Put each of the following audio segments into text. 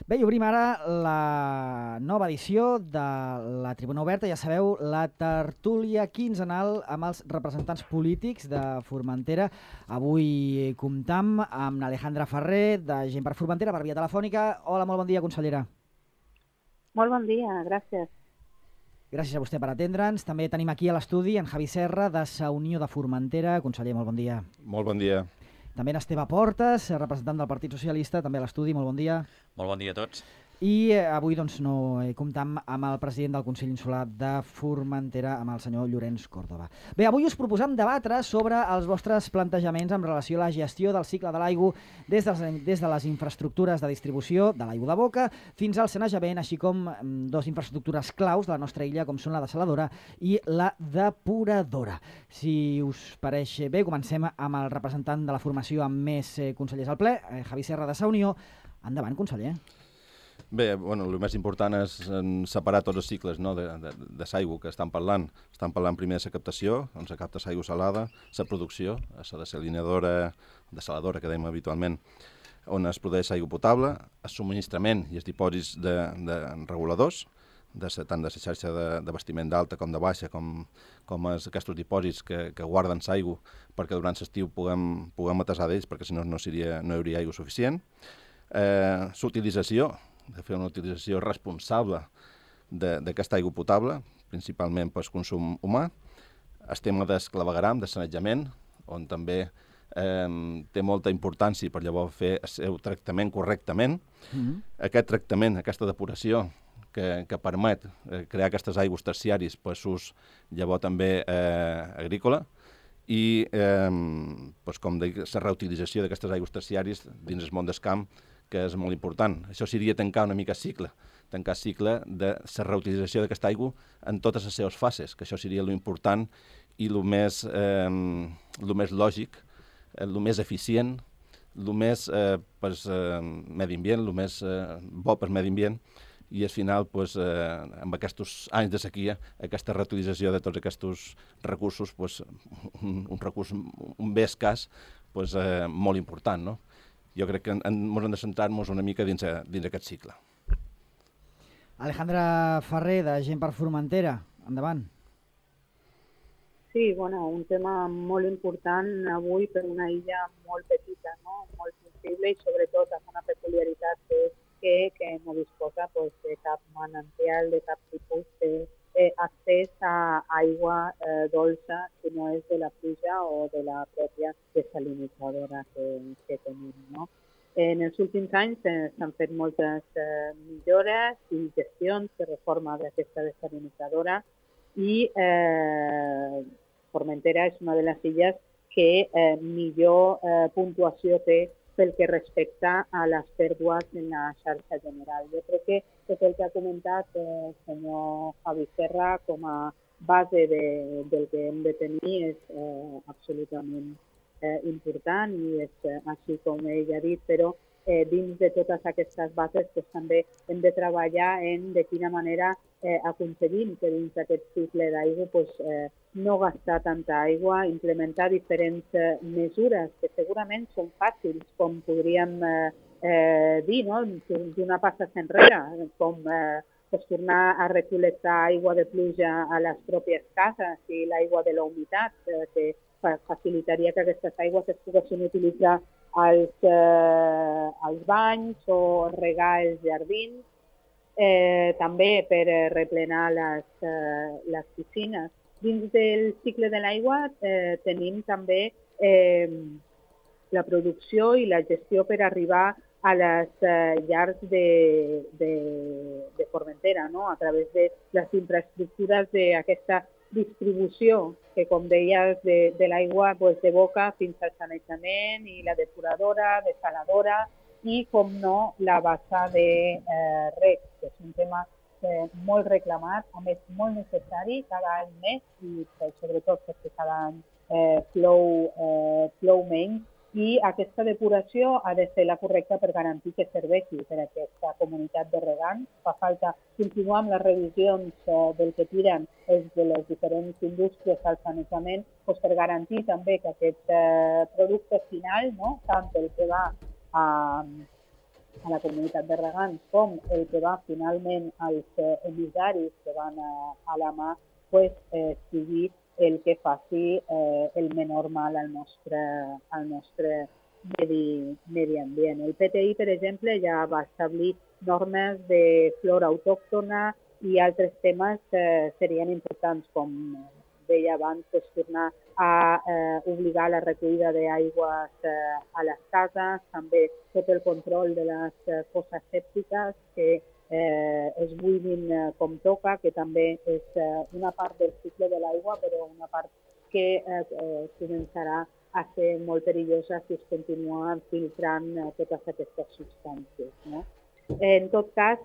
Bé, i obrim ara la nova edició de la Tribuna Oberta. Ja sabeu, la tertúlia quinzenal amb els representants polítics de Formentera. Avui comptam amb Alejandra Ferrer, de Gent per Formentera, per via telefònica. Hola, molt bon dia, consellera. Molt bon dia, gràcies. Gràcies a vostè per atendre'ns. També tenim aquí a l'estudi en Javi Serra, de Sa Unió de Formentera. Conseller, molt bon dia. Molt bon dia. També en Esteve Portes, representant del Partit Socialista, també a l'estudi. Molt bon dia. Molt bon dia a tots. I avui no comptam amb el president del Consell Insular de Formentera, amb el senyor Llorenç Còrdova. Bé, avui us proposam debatre sobre els vostres plantejaments en relació a la gestió del cicle de l'aigua des de les infraestructures de distribució de l'aigua de boca fins al sanejament, així com dues infraestructures claus de la nostra illa, com són la dessaladora i la depuradora. Si us pareix bé, comencem amb el representant de la formació amb més consellers al ple, Javi Serra, de Sa Unió. Endavant, conseller. Bé, el més important és separar tots els cicles de l'aigua que estan parlant. Estan parlant primer de la captació, on se capta l'aigua salada, la producció, la dessaladora que dèiem habitualment, on es produeix aigua potable, el subministrament i els dipòsits de reguladors, tant de la xarxa d'abastiment d'alta com de baixa, com aquests dipòsits que guarden l'aigua perquè durant l'estiu puguem atesar d'ells, perquè si no hi hauria aigua suficient. L'utilització, de fer una utilització responsable d'aquesta aigua potable, principalment per consum humà. El tema del clavegueram, de sanejament, on també té molta importància per llavors fer el seu tractament correctament. Aquest tractament, aquesta depuració que permet crear aquestes aigües terciàries per l'ús llavors també agrícola i, com dic, la reutilització d'aquestes aigües terciàries dins el món del camp, que és molt important. Això seria tancar una mica el cicle de la reutilització d'aquesta aigua en totes les seves fases, que això seria l'important i el més lògic, el més eficient, el més per medi ambient, el més bo per medi ambient, i al final, amb aquests anys de sequia, aquesta reutilització de tots aquests recursos, un recurs, un bé escàs, molt important, no? Jo crec que ens hem de centrar-nos una mica dins aquest cicle. Alejandra Ferrer, de Gent per Formentera, endavant. Sí, un tema molt important avui per una illa molt petita, no? Molt sensible i sobretot amb una peculiaritat que és que no disposa de cap manantial, de cap tipus d'accés a aigua dolça, si no és de la pluja o de la pròpia desalinitzadora que tenim, no? En els últims anys s'han fet moltes millores i gestions de reforma d'aquesta desalinitzadora i Formentera és una de les illes que millor puntuació té pel que respecta a les pèrdues en la xarxa general. Jo crec que tot el que ha comentat el senyor Javi Serra com a base del que hem de tenir és absolutament important i és així com ell ha dit, però dins de totes aquestes bases també hem de treballar en de quina manera aconseguim que dins d'aquest cicle d'aigua no gastar tanta aigua, implementar diferents mesures que segurament són fàcils, com podríem dir, no? Donar passes enrere, com tornar a recol·lectar aigua de pluja a les pròpies cases i l'aigua de la humitat, que facilitaria que aquestes aigües es poguessin utilitzar als banys o regar els jardins, també per replenar les piscines. Dins del cicle de l'aigua tenim també la producció i la gestió per arribar a les llars de Formentera, no? A través de les infraestructures d'aquesta distribució, que com deies, de l'aigua de boca fins al sanejament i la depuradora, desaladora i, com no, la bassa de reg, que és un tema molt reclamat, a més molt necessari cada any més i sobretot perquè cada any plou menys i aquesta depuració ha de ser la correcta per garantir que serveixi per a aquesta comunitat de regants. Fa falta continuar amb les revisions del que tiren de les diferents indústries al sanejament per garantir també que aquest producte final, no, tant el que va a la comunitat de regants com el que va finalment als emissaris que van a la mà, pues, sigui el que faci el menor mal al nostre medi ambient. El PTI, per exemple, ja va establir normes de flora autòctona i altres temes serien importants, com deia abans, pues, tornar a obligar la recollida d'aigües a les cases, també tot el control de les fosses sèptiques, que es buidin com toca, que també és una part del cicle de l'aigua, però una part que començarà a ser molt perillosa si es continuen filtrant totes aquestes substàncies, no? En tot cas,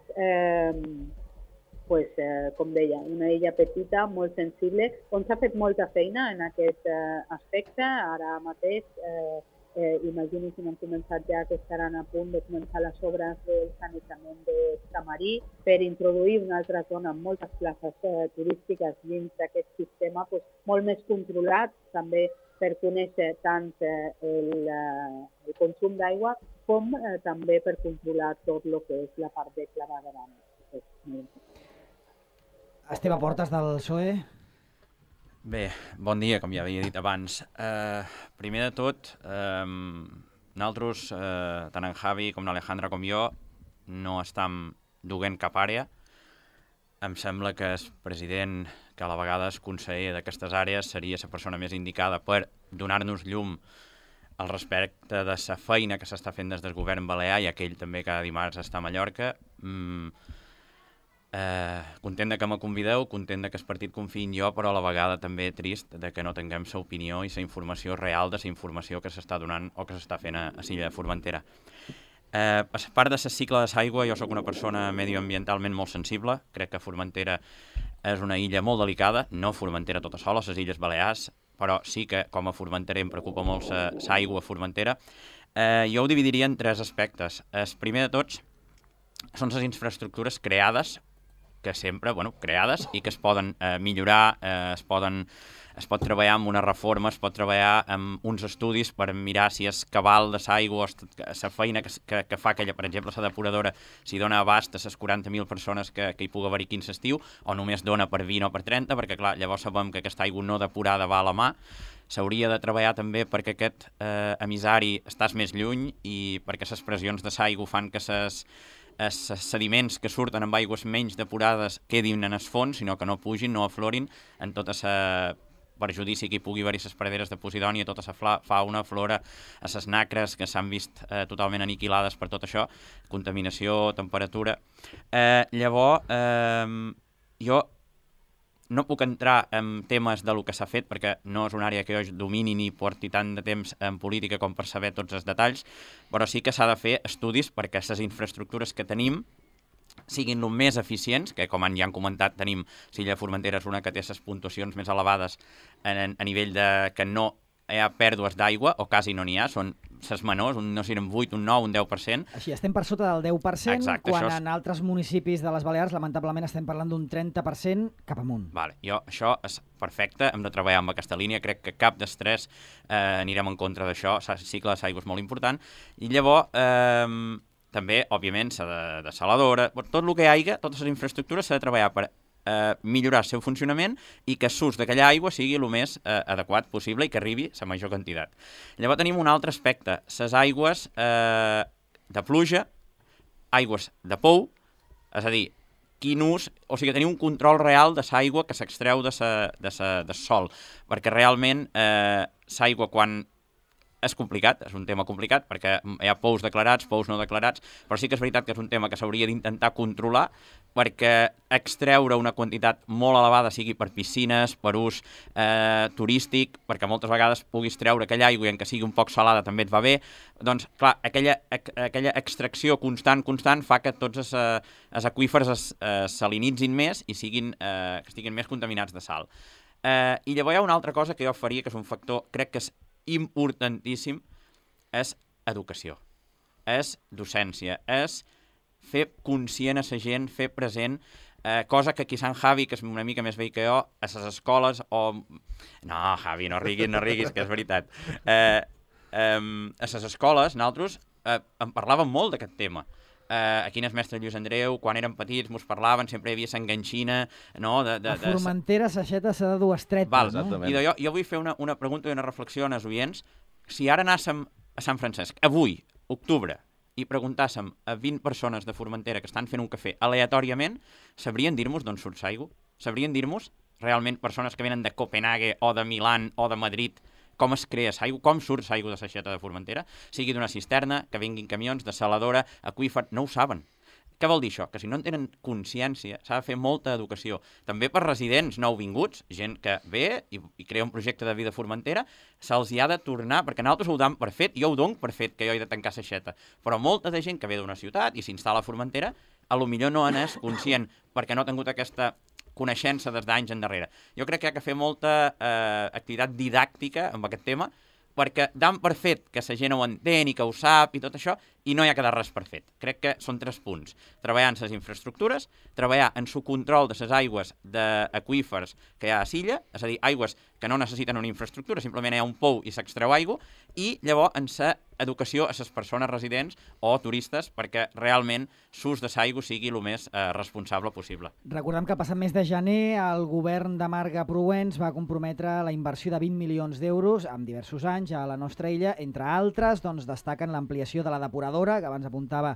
pues, com deia, una illa petita, molt sensible, on s'ha fet molta feina en aquest aspecte. Ara mateix, imagino que han començat ja que estaran a punt de començar les obres del sanejament d'Estamarí per introduir una altra zona amb moltes places turístiques dins d'aquest sistema, pues, molt més controlat, també per conèixer tant el consum d'aigua com també per controlar tot el que és la part de clavegueram. Esteve Portes, del PSOE. Bé, bon dia, com ja havia dit abans. Primer de tot, nosaltres, tant en Javi com l'Alejandra com jo, no estem duent cap àrea. Em sembla que el president, que a la vegada és conseller d'aquestes àrees, seria la persona més indicada per donar-nos llum al respecte de la feina que s'està fent des del govern balear, i aquell també cada dimarts està a Mallorca. Content de que me convideu, content de que el partit confiï en jo, però a la vegada també trist de que no tinguem la opinió i la informació real de la informació que s'està donant o que s'està fent a l'illa de Formentera. A part de la cicle de l'aigua, jo sóc una persona medioambientalment molt sensible. Crec que Formentera és una illa molt delicada, no Formentera tota sola, les Illes Balears, però sí que com a formenterer em preocupa molt l'aigua a Formentera. Jo ho dividiria en tres aspectes. El primer de tots són les infraestructures creades, que sempre, creades i que es poden millorar, es pot treballar amb una reforma, es pot treballar amb uns estudis per mirar si és cabal de l'aigua, la feina que fa aquella, per exemple, la depuradora, si dona abast a les 40.000 persones que hi pugui haver-hi quins estiu, o només dona per 20 o per 30, perquè clar, llavors sabem que aquesta aigua no depurada va a la mà. S'hauria de treballar també perquè aquest emissari estàs més lluny i perquè les pressions de l'aigua fan que els sediments que surten amb aigües menys depurades quedin en el fons, sinó que no pugin, no aflorin en tota la perjudici que hi pugui haver-hi les praderes de Posidònia, tota la fauna, flora, a les nacres que s'han vist totalment aniquilades per tot això, contaminació, temperatura. Llavors, jo no puc entrar en temes de lo que s'ha fet perquè no és una àrea que jo domini ni porti tant de temps en política com per saber tots els detalls, però sí que s'ha de fer estudis perquè les infraestructures que tenim siguin el més eficients, que com ja han comentat tenim, l'illa de Formentera és una que té les puntuacions més elevades a nivell de que no hi ha pèrdues d'aigua, o quasi no n'hi ha, són les menors, no sé, un 8, un 9, un 10%. Així, estem per sota del 10%, exacte, quan en altres municipis de les Balears, lamentablement, estem parlant d'un 30% cap amunt. Vale, això és perfecte, hem de treballar amb aquesta línia, crec que cap d'estrès anirem en contra d'això, el cicle de l'aigua és molt important, i llavors també, òbviament, s'ha de saladora, tot el que hi hagi, totes les infraestructures s'ha de treballar per millorar el seu funcionament i que l'ús d'aquella aigua sigui el més adequat possible i que arribi la major quantitat. Llavors tenim un altre aspecte, les aigües de pluja, aigües de pou, és a dir, quin ús, o sigui, tenir un control real de l'aigua que s'extreu de sol, perquè realment l'aigua quan és complicat, és un tema complicat, perquè hi ha pous declarats, pous no declarats, però sí que és veritat que és un tema que s'hauria d'intentar controlar, perquè extreure una quantitat molt elevada, sigui per piscines, per ús turístic, perquè moltes vegades puguis treure aquella aigua i en que sigui un poc salada també et va bé, doncs, clar, aquella extracció constant fa que tots els aqüífers salinitzin més i que estiguin més contaminats de sal. I llavors hi ha una altra cosa que jo faria, que és un factor, crec que és importantíssim, és educació, és docència, és fer conscient a la gent, fer present, cosa que aquí Sant Javi, que és una mica més vell que jo, a les escoles, o... No, Javi, no riguis, que és veritat. A les escoles, nosaltres en parlàvem molt d'aquest tema. Aquí en el mestre Lluís Andreu, quan érem petits, mos parlaven, sempre hi havia s'enganxina, no? A Formentera, Saixeta s'ha de dur estreta, no? I jo vull fer una pregunta i una reflexió als oients. Si ara anàssim a Sant Francesc, avui, octubre, i preguntàssim a 20 persones de Formentera que estan fent un cafè aleatòriament, sabrien dir-nos d'on surt l'aigua? Sabrien dir-nos, realment, persones que venen de Copenhague o de Milan o de Madrid, com es crea l'aigua, com surt l'aigua de Saixeta de Formentera, sigui d'una cisterna, que vinguin camions, de saladora, aqüífer, no ho saben. Què vol dir això? Que si no en tenen consciència, s'ha de fer molta educació. També per residents nouvinguts, gent que ve i crea un projecte de vida a Formentera, se'ls hi ha de tornar, perquè nosaltres ho dam per fet, jo ho dono per fet, que jo he de tancar Saixeta. Però molta de gent que ve d'una ciutat i s'instal·la a Formentera, a lo millor no n'és conscient, perquè no ha tingut aquesta coneixença des d'anys endarrere. Jo crec que hi ha que fer molta activitat didàctica amb aquest tema, perquè dan per fet que la gent ho entén i que ho sap i tot això, i no hi ha que dar res per fet. Crec que són 3 punts. Treballar en les infraestructures, treballar en el control de les aigües d'aqüífers que hi ha a l'illa, és a dir, aigües que no necessiten una infraestructura, simplement hi ha un pou i s'extreu aigua, i llavors en la educació a les persones residents o turistes perquè realment l'ús de l'aigua sigui el més responsable possible. Recordem que el passat mes de gener el govern de Marga Proens va comprometre la inversió de 20 milions d'euros en diversos anys a la nostra illa. Entre altres, doncs, destaquen l'ampliació de la depuradora, que abans apuntava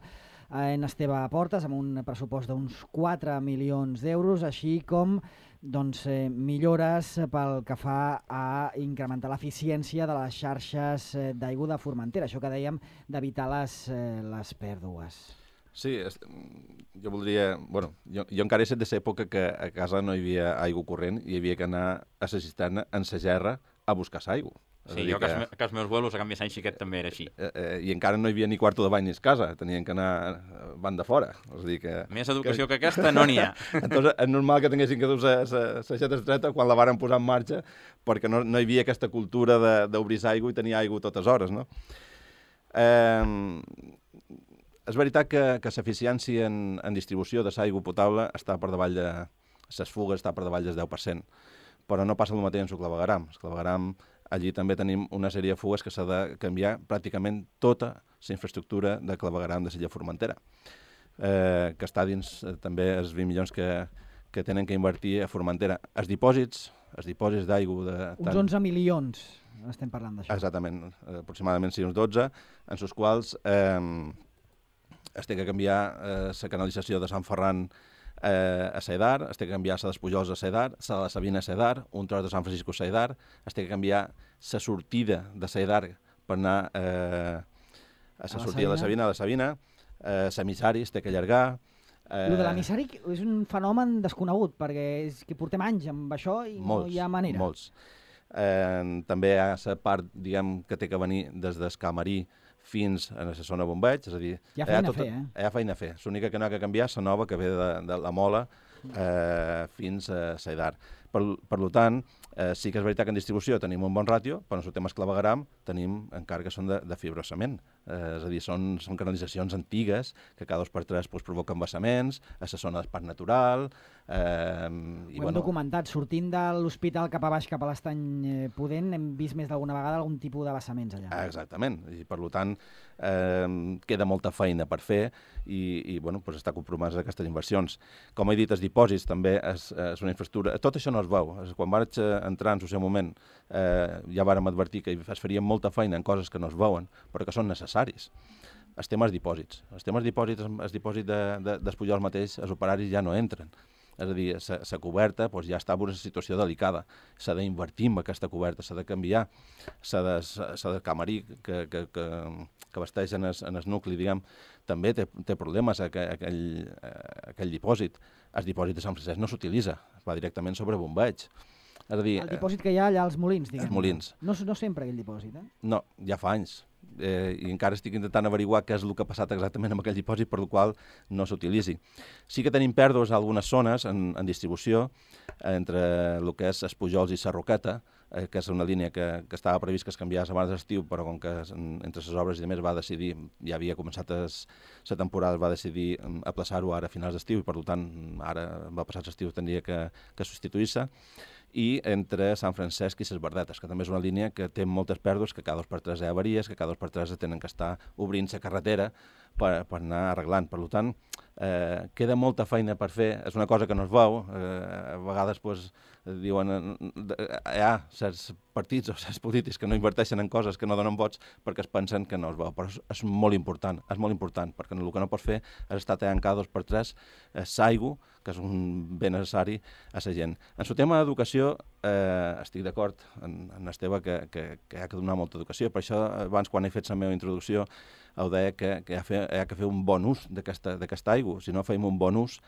en Esteve Portes, amb un pressupost d'uns 4 milions d'euros, així com millores pel que fa a incrementar l'eficiència de les xarxes d'aigua de Formentera, això que dèiem d'evitar les pèrdues. Sí, jo voldria... Bueno, jo encara he set de l'època que a casa no hi havia aigua corrent i hi havia que anar a la cisterna en la gerra a buscar l'aigua. Sí, jo que els meus vuelos a Canvi Sant Xiquet també era així. I encara no hi havia ni quarto de bany ni a casa, tenien que anar banda fora. És a dir que... Més educació que aquesta no n'hi ha. Entonces, és normal que tinguessin que dur la xeta estreta quan la varen posar en marxa, perquè no hi havia aquesta cultura d'obrir aigua i tenir aigua totes hores, no? És veritat que l'eficiència en distribució de l'aigua potable està per davall de... Les fugues està per davall del 10%, però no passa el mateix en el clavegueram. El clavegueram, allí també tenim una sèrie de fugues que s'ha de canviar pràcticament tota la infraestructura de clavegueram de l'illa Formentera, que està dins també els 20 milions que tenen que invertir a Formentera. Els dipòsits d'aigua... Uns 11 milions estem parlant d'això. Exactament, aproximadament sí, uns 12, en els quals es té que canviar la canalització de Sant Ferran a Cedar, es té que canviar la d'Espujols a Cedar, la de Sabina a Cedar, un tros de Sant Francisco a Cedar, es té que canviar la sortida de Cedar per anar a la sortida de la Sabina, l'emissari es té que allargar... El de l'emissari és un fenomen desconegut, perquè és que portem anys amb això i no hi ha manera. Molts. També hi ha la part, diguem, que té que venir des del Camarí fins a la zona bombeig, és a dir... Hi ha feina a fer, Hi ha feina a fer. L'única que no ha que canviar és la nova que ve de la Mola fins a Cedar. Per tant, sí que és veritat que en distribució tenim un bon ràtio, però en el tema clavegueram tenim encara que són de fibrocement. És a dir, són canalitzacions antigues que cada 2 per 3 provoquen vessaments, a la zona d'espai natural... Ho hem documentat. Sortint de l'hospital cap a baix, cap a l'Estany Pudent, hem vist més d'alguna vegada algun tipus de vessaments allà. Exactament. I per tant, queda molta feina per fer i està compromès a aquestes inversions. Com he dit, els dipòsits també és una infraestructura... Tot això no es veu. Quan vaig entrar en el seu moment ja vàrem advertir que es faria molta feina en coses que no es veuen, però que són necessaris. Els temes dipòsits. El dipòsit d'Espullols mateix, els operaris ja no entren. És a dir, la coberta ja està en una situació delicada. S'ha d'invertir en aquesta coberta, s'ha de canviar, s'ha de camarí que vesteix en el nucli, diguem, també té problemes aquell dipòsit. El dipòsit de Sant Francesc no s'utilitza, va directament sobre bombeig. És a dir, el dipòsit que hi ha allà als molins, diguem. Els molins. No sempre aquell dipòsit, No, ja fa anys. I encara estic intentant averiguar què és el que ha passat exactament amb aquell dipòsit per el qual no s'utilitzi. Sí que tenim pèrdues a algunes zones en distribució entre el que és Espujols i Sarroqueta, que és una línia que estava previst que es canviés abans d'estiu, però com que entre les obres i demés va decidir, ja havia començat la temporada, va decidir aplaçar-ho ara a finals d'estiu i per tant ara va passar l'estiu tindria que substituir-se. i entre Sant Francesc i Ses Verdetes, que també és una línia que té moltes pèrdues, que cada 2 per 3 hi ha avaries, que cada 2 per 3 tenen que estar obrint la carretera per anar arreglant. Per tant, queda molta feina per fer, és una cosa que no es veu, a vegades diuen hi ha certs partits o certs polítics que no inverteixen en coses que no donen vots perquè es pensen que no es veu, però és molt important, perquè el que no pots fer és estar tallant cada 2 per 3 l'aigua, que és un bé necessari a la gent. En el tema d'educació estic d'acord en Esteve que hi ha que donar molta educació, per això abans quan he fet la meva introducció ho deia que hi ha que fer un bon ús d'aquesta aigua. Si no fem un bon ús,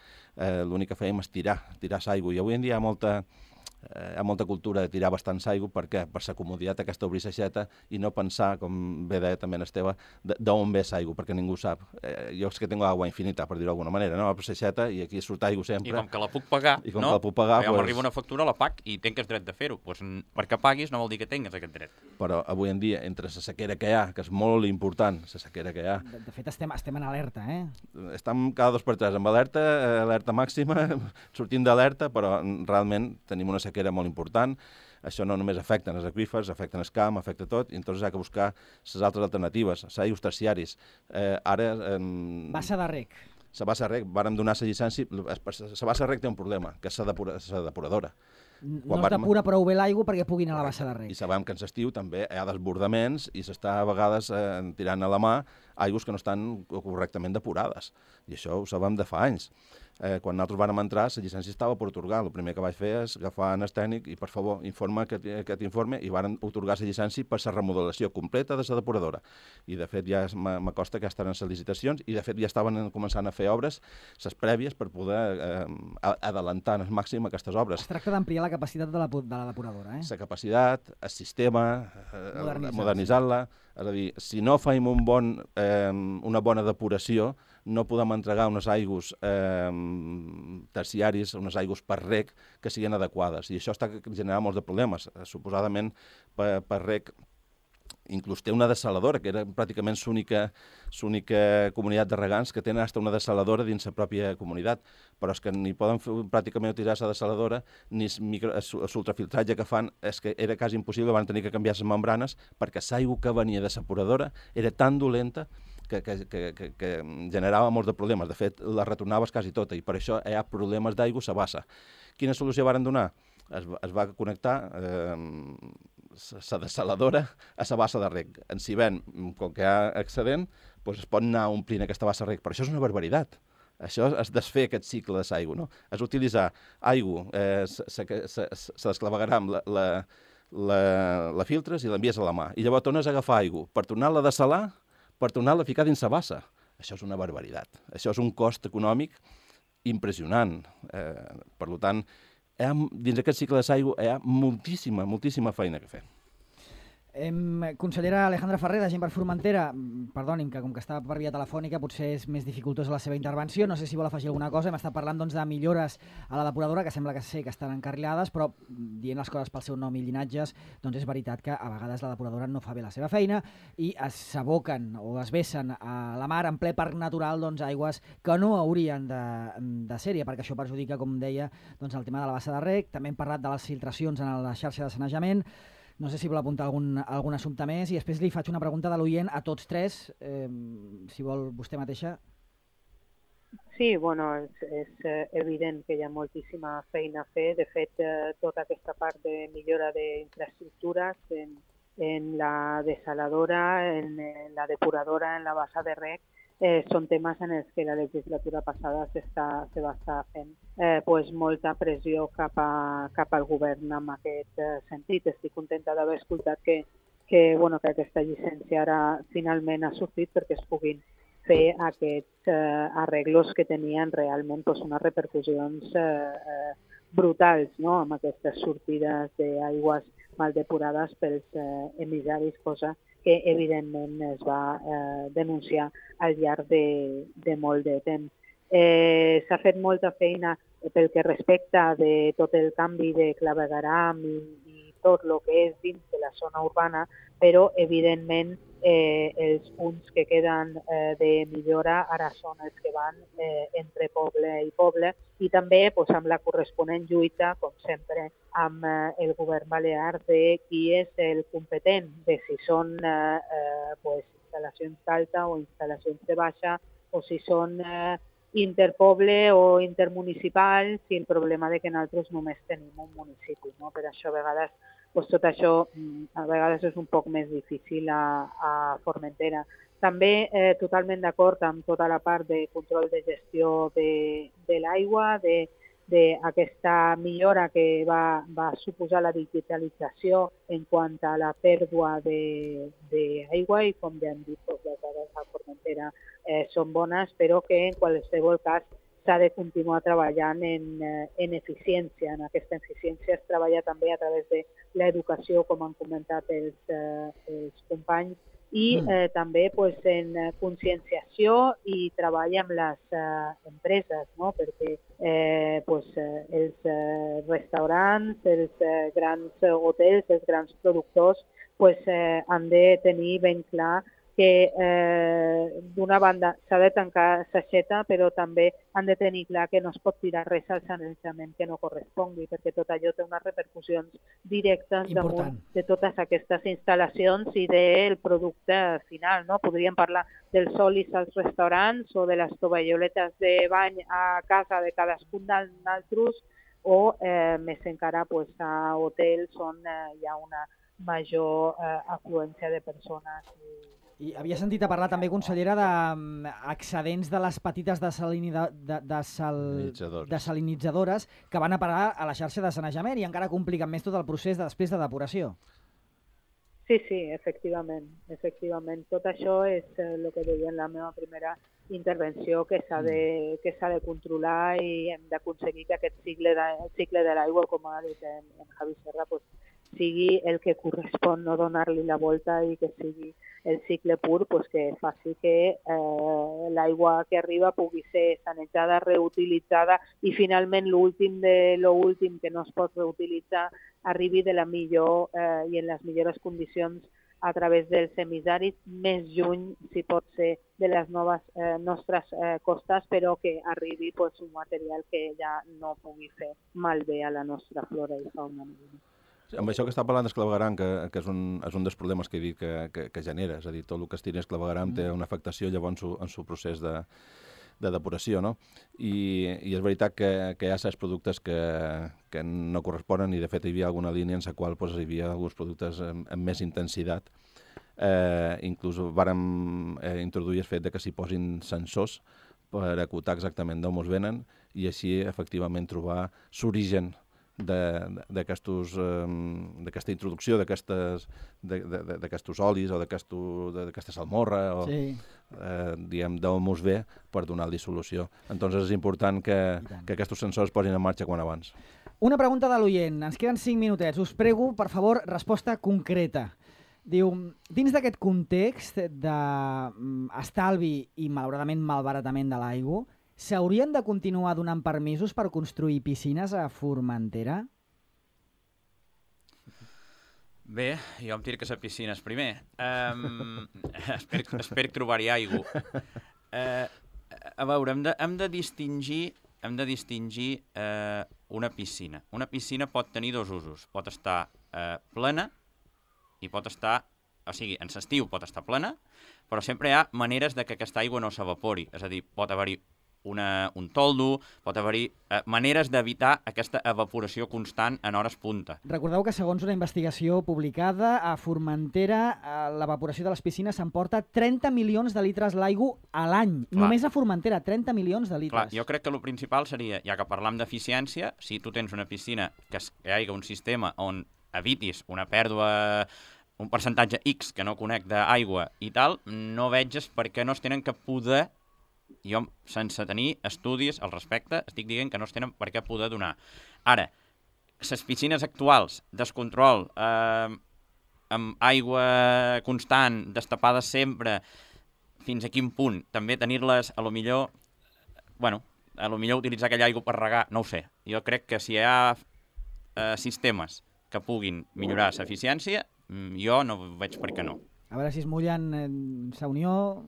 l'únic que fèiem és tirar l'aigua. I avui en dia hi ha molta cultura de tirar bastants aigua. Per què? Per la comoditat aquesta obrir l'aixeta i no pensar, com bé deia també en Esteve, d'on ve l'aigua, perquè ningú sap. Jo és que tengo agua infinita, per dir-ho d'alguna manera, no? Obro l'aixeta i aquí surt aigua sempre. I com que la puc pagar, jo m'arriba una factura, la pac i tens dret de fer-ho. Perquè paguis no vol dir que tinguis aquest dret. Però avui en dia, entre la sequera que hi ha, que és molt important, la sequera que hi ha... De fet, estem en alerta, eh? Estem cada 2 per 3 amb alerta màxima, sortim d'alerta, però realment tenim una sequera molt important. Això no només afecta els aqüífers, afecta el camp, afecta tot, i llavors hi ha que buscar les altres alternatives, els aigües terciaris. Bassa de rec. La bassa de rec, vàrem donar la llicència, la bassa de rec té un problema, que és la depuradora. No es depura prou bé l'aigua perquè pugui anar a la bassa de rec. I sabem que en l'estiu també hi ha desbordaments i s'està a vegades tirant a la mà aigües que no estan correctament depurades. I això ho sabem de fa anys. Quan nosaltres vam entrar, la llicència estava per atorgar. El primer que vaig fer és agafar el tècnic i, per favor, informa aquest informe, i van atorgar la llicència per la remodelació completa de la depuradora. I, de fet, ja m'acosta que estan en les licitacions i, de fet, ja estaven començant a fer obres, les prèvies, per poder adelantar al màxim aquestes obres. Es tracta d'ampliar la capacitat de la depuradora, eh? La capacitat, el sistema, modernitzar-la. És a dir, si no fem una bona depuració, no podem entregar unes aigües terciaris, unes aigües per rec que siguin adequades. I això està generant molts de problemes. Suposadament, per rec, inclús té una dessaladora, que era pràcticament l'única comunitat de regants que tenen una dessaladora dins la pròpia comunitat, però és que ni poden pràcticament utilitzar la dessaladora, ni l'ultrafiltratge que fan, és que era quasi impossible, van tenir que canviar les membranes, perquè l'aigua que venia de la depuradora era tan dolenta que generava molts de problemes. De fet, la retornaves quasi tota, i per això hi ha problemes d'aigua a la bassa. Quina solució varen donar? Es va connectar la dessaladora a la bassa de rec. Si ven, com que hi ha excedent, es pot anar omplint aquesta bassa de rec. Però això és una barbaritat. Això és desfer aquest cicle de l'aigua, no? És utilitzar aigua, se desclavegarà amb la filtres i l'envies a la mà. I llavors tornes a agafar aigua per tornar-la a dessalar, per tornar-la a ficar dins la bassa. Això és una barbaritat. Això és un cost econòmic impressionant. Per tant, dins aquest cicle de l'aigua hi ha moltíssima feina a fer. Consellera Alejandra Ferrer, de Gent per Formentera, perdoni'm, que com que estava per via telefònica potser és més dificultosa la seva intervenció, no sé si vol afegir alguna cosa. Hem estat parlant de millores a la depuradora, que sembla que sé que estan encarrilades, però dient les coses pel seu nom i llinatges, doncs és veritat que a vegades la depuradora no fa bé la seva feina i s'aboquen o es vessen a la mar en ple parc natural aigües que no haurien de ser-hi, perquè això perjudica, com deia, el tema de la bassa de rec. També hem parlat de les filtracions en la xarxa de sanejament. No sé si vol apuntar algun assumpte més i després li faig una pregunta de l'oient a tots tres, si vol vostè mateixa. Sí, bueno, és evident que hi ha moltíssima feina a fer. De fet, tota aquesta part de millora d'infraestructures en la dessaladora, en la depuradora, en la bassa de rec, són temes en els que la legislatura passada se va estar fent molta pressió cap al govern en aquest sentit. Estic contenta d'haver escoltat que aquesta llicència ara finalment ha sortit perquè es puguin fer aquests arreglos que tenien realment unes repercussions brutals, no?, amb aquestes sortides d'aigües mal depurades pels emissaris, cosa que evidentment es va denunciar al llarg de molt de temps. S'ha fet molta feina pel que respecta de tot el canvi de clavegueram i tot el que és dins de la zona urbana, però evidentment els punts que queden de millora ara són els que van entre poble i poble i també amb la corresponent lluita, com sempre, amb el govern balear de qui és el competent, de si són instal·lacions d'alta o instal·lacions de baixa o si són interpoble o intermunicipal, si el problema de que nosaltres només tenim un municipi, no? Per això a vegades tot això a vegades és un poc més difícil a Formentera. També totalment d'acord amb tota la part de control de gestió de l'aigua, d'aquesta millora que va suposar la digitalització en quant a la pèrdua d'aigua i, com ja hem dit, les dades a Formentera són bones, però que en qualsevol cas s'ha de continuar treballant en eficiència. En aquesta eficiència es treballa també a través de l'educació, com han comentat els companys, i també en conscienciació i treball amb les empreses, no? Perquè els restaurants, els grans hotels, els grans productors han de tenir ben clar que d'una banda s'ha de tancar s'aixeta, però també han de tenir clar que no es pot tirar res al sanejament que no correspongui, perquè tot allò té unes repercussions directes damunt de totes aquestes instal·lacions i del producte final, no? Podríem parlar dels olis als restaurants o de les tovalloletes de bany a casa de cadascun d'altres o més encara a hotels on hi ha una major afluència de persones. I havia sentit a parlar també, consellera, d'excedents de les petites desalinitzadores que van a parar a la xarxa de sanejament i encara compliquen més tot el procés després de depuració. Sí, efectivament. Tot això és el que deia en la meva primera intervenció, que s'ha de controlar i hem d'aconseguir que aquest cicle de l'aigua, com ha dit en Javi Serra, sigui el que correspon, no donar-li la volta i que sigui el cicle pur, que faci que l'aigua que arriba pugui ser sanejada, reutilitzada i finalment l'últim de l'últim que no es pot reutilitzar arribi de la millor i en les millors condicions a través dels emissaris, més lluny, si pot ser, de les nostres costes, però que arribi un material que ja no pugui fer malbé a la nostra flora i fauna. Amb això que està parlant d'esclavegaram, que és un dels problemes que he dit que genera, és a dir, tot el que es tira esclavegaram té una afectació llavors en el procés de depuració, no? I és veritat que hi ha certs productes que no corresponen i de fet hi havia alguna línia en la qual hi havia alguns productes amb més intensitat. Inclús vàrem introduir el fet que s'hi posin sensors per acotar exactament d'on es venen i així efectivament trobar l'origen d'aquesta introducció d'aquestos olis o d'aquesta salmorra o diguem d'on mos ve per donar-li solució. Entonces és important que aquests sensors posin en marxa quan abans. Una pregunta de l'oient, ens queden 5 minutets, us prego, per favor, resposta concreta. Diu, dins d'aquest context d'estalvi i malauradament malbaratament de l'aigua, s'haurien de continuar donant permisos per construir piscines a Formentera? Bé, jo em tirc a les piscines primer. Espero trobar-hi aigua. A veure, hem de distingir una piscina. Una piscina pot tenir dos usos. Pot estar plena i pot estar... O sigui, en l'estiu pot estar plena, però sempre hi ha maneres de que aquesta aigua no s'evapori. És a dir, pot haver-hi un toldo, pot haver-hi maneres d'evitar aquesta evaporació constant en hores punta. Recordeu que segons una investigació publicada a Formentera, l'evaporació de les piscines s'emporta 30 milions de litres l'aigua a l'any. Només a Formentera, 30 milions de litres. Clar, jo crec que el principal seria, ja que parlam d'eficiència, si tu tens una piscina que hi hagi un sistema on evitis una pèrdua, un percentatge X que no conec d'aigua i tal, no veges per què no es tenen que poder, jo sense tenir estudis al respecte, estic dient que no es tenen per què poder donar. Ara, les piscines actuals, descontrol, amb aigua constant, destapades sempre, fins a quin punt, també tenir-les, a lo millor utilitzar aquella aigua per regar, no ho sé. Jo crec que si hi ha sistemes que puguin millorar l'eficiència, jo no veig per què no. A veure si es mullen sa Unió...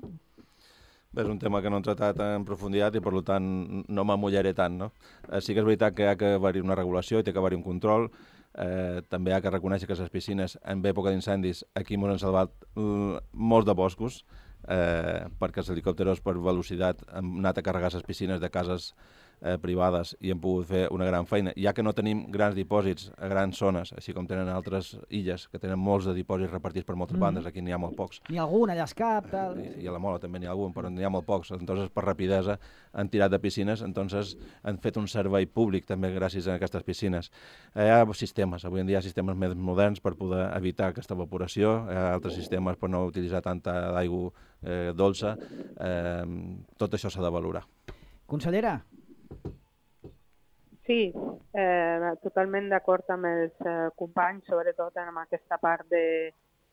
Bé, és un tema que no hem tratat en profunditat i, per tant, no m'amullaré tant, no? Sí que és veritat que hi ha que haver-hi una regulació i té que haver-hi un control. També hi ha que reconèixer que les piscines, en època d'incendis, aquí ens han salvat molts de boscos, perquè els helicòpteros per velocitat han anat a carregar les piscines de cases privades i hem pogut fer una gran feina. Ja que no tenim grans dipòsits a grans zones, així com tenen altres illes, que tenen molts de dipòsits repartits per moltes bandes, aquí n'hi ha molt pocs. N'hi ha algun allà a Escap, tal... I a la Mola també n'hi ha algun, però n'hi ha molt pocs. Entonces, per rapidesa, han tirat de piscines, entonces han fet un servei públic també gràcies a aquestes piscines. Hi ha sistemes, avui en dia hi ha sistemes més moderns per poder evitar aquesta evaporació, hi ha altres sistemes per no utilitzar tanta aigua dolça. Tot això s'ha de valorar. Consellera? Sí, totalment d'acord amb els companys, sobretot en aquesta part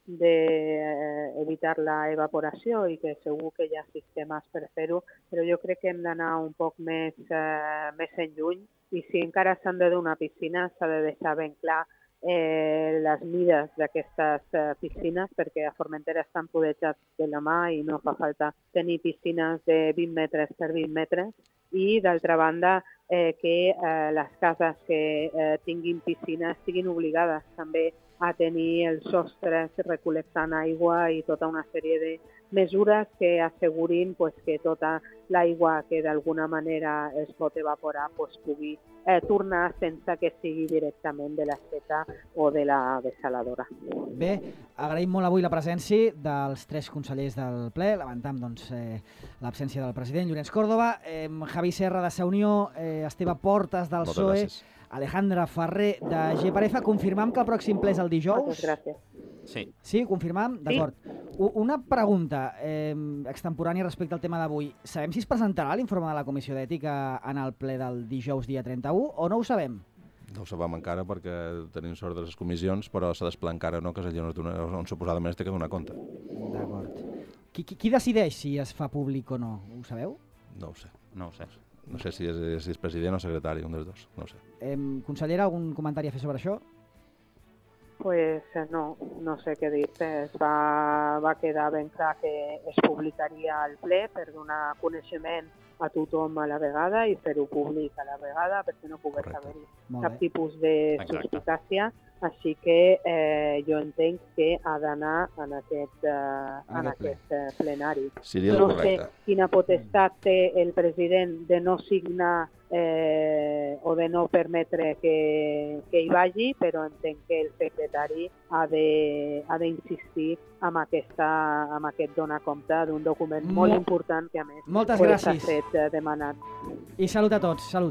d'evitar la evaporació i que segur que hi ha sistemes per fer-ho, però jo crec que hem d'anar un poc més en lluny i si encara s'han de donar piscines s'ha de deixar ben clar les mides d'aquestes piscines, perquè a Formentera estan podejats de la mà i no fa falta tenir piscines de 20 metres per 20 metres i, d'altra banda, que les cases que tinguin piscines siguin obligades també a tenir els sostres recol·lectant aigua i tota una sèrie de mesures que assegurin que tota l'aigua que d'alguna manera es pot evaporar pugui tornar sense que sigui directament de l'aixeta o de la dessaladora. Bé, agraïm molt avui la presència dels 3 consellers del ple, lamentam l'absència del president Llorenç Córdoba, Javi Serra de Sa Unió, Esteve Portes del PSOE, Alejandra Ferrer de GPRF. Confirmam que el pròxim ple és el dijous? Moltes gràcies. Sí. Sí, confirmam? D'acord. Una pregunta extemporània respecte al tema d'avui. Sabem si es presentarà l'informe de la Comissió d'Ètica en el ple del dijous dia 31 o no ho sabem? No ho sabem encara perquè tenim sort de les comissions, però s'ha d'esplar encara, no?, que és allò on suposadament es té que donar compte. D'acord. Qui decideix si es fa públic o no? Ho sabeu? No ho sé. No ho sé. No sé si és president o secretari, un dels dos, no ho sé. Consellera, algun comentari a fer sobre això? Pues no sé què dir-te. Va quedar ben clar que es publicaria al ple per donar coneixement a tothom a la vegada i fer-ho públic a la vegada perquè no pogués haver-hi cap tipus de suspicàcia. Així que jo entenc que ha d'anar en aquest plenari. Seria no sé quina potestat té el president de no signar o de no permetre que hi vagi, però entenc que el secretari ha d'insistir en aquest donar compte d'un document molt important que a més s'ha fet demanat. I salut a tots, salut.